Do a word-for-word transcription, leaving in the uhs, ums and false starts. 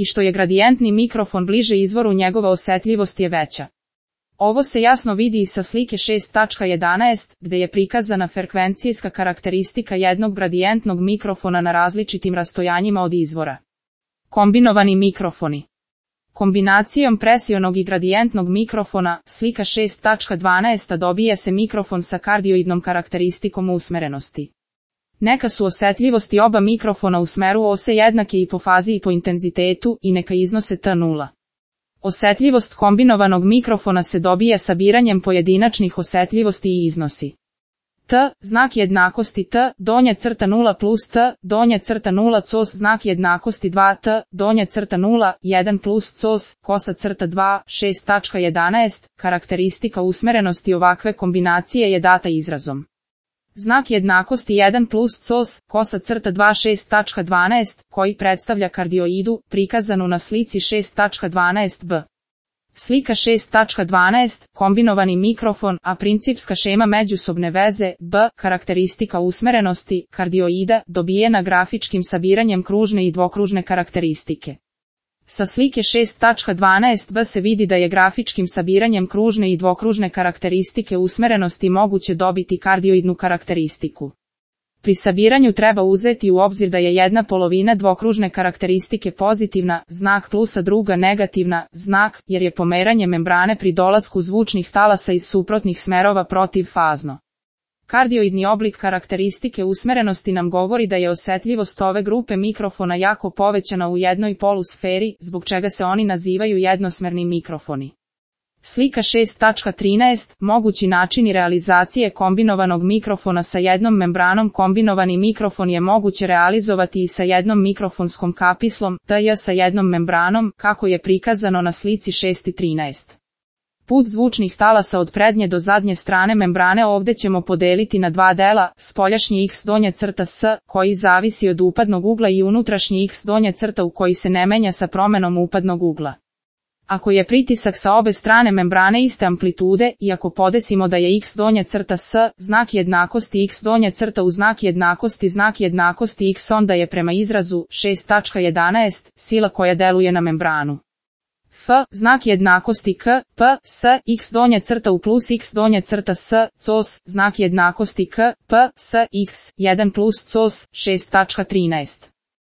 i što je gradijentni mikrofon bliže izvoru njegova osetljivost je veća. Ovo se jasno vidi i sa slike šest tačka jedanaest, gde je prikazana frekvencijska karakteristika jednog gradijentnog mikrofona na različitim rastojanjima od izvora. Kombinovani mikrofoni. Kombinacijom presionog i gradijentnog mikrofona, slika šest tačka dvanaest dobije se mikrofon sa kardioidnom karakteristikom usmerenosti. Neka su osetljivosti oba mikrofona u smeru ose jednake i po fazi i po intenzitetu i neka iznose T nula. Osetljivost kombinovanog mikrofona se dobije sabiranjem pojedinačnih osetljivosti i iznosi. T, znak jednakosti T, donja crta nula plus T, donja crta nula cos, znak jednakosti dva T, donja crta nula, jedan plus cos, kosa crta dva, šest tačka jedanaest, karakteristika usmerenosti ovakve kombinacije je data izrazom. Znak jednakosti jedan plus cos, kosa crta dva šest tačka dvanaest, koji predstavlja kardioidu, prikazanu na slici šest tačka dvanaest b. Slika šest tačka dvanaest, kombinovani mikrofon, a principska šema međusobne veze, B, karakteristika usmerenosti, kardioida, dobijena grafičkim sabiranjem kružne i dvokružne karakteristike. Sa slike šest tačka dvanaest b se vidi da je grafičkim sabiranjem kružne i dvokružne karakteristike usmerenosti moguće dobiti kardioidnu karakteristiku. Pri sabiranju treba uzeti u obzir da je jedna polovina dvokružne karakteristike pozitivna, znak plusa druga negativna, znak, jer je pomeranje membrane pri dolasku zvučnih talasa iz suprotnih smerova protivfazno. Kardioidni oblik karakteristike usmerenosti nam govori da je osetljivost ove grupe mikrofona jako povećana u jednoj polusferi, zbog čega se oni nazivaju jednosmerni mikrofoni. Slika šest tačka trinaest, mogući načini realizacije kombinovanog mikrofona sa jednom membranom. Kombinovani mikrofon je moguće realizovati i sa jednom mikrofonskom kapislom, T J sa jednom membranom, kako je prikazano na slici šest trinaest. Put zvučnih talasa od prednje do zadnje strane membrane ovdje ćemo podeliti na dva dela, spoljašnji X donja crta S, koji zavisi od upadnog ugla i unutrašnji X donja crta u koji se ne menja sa promenom upadnog ugla. Ako je pritisak sa obe strane membrane iste amplitude, i ako podesimo da je X donja crta S, znak jednakosti X donja crta u znak jednakosti znak jednakosti X, onda je prema izrazu šest tačka jedanaest sila koja deluje na membranu. F, znak jednakosti K, P, S, X donja crta u plus X donja crta S, cos, znak jednakosti K, P, S, X, jedan plus cos, šest tačka trinaest.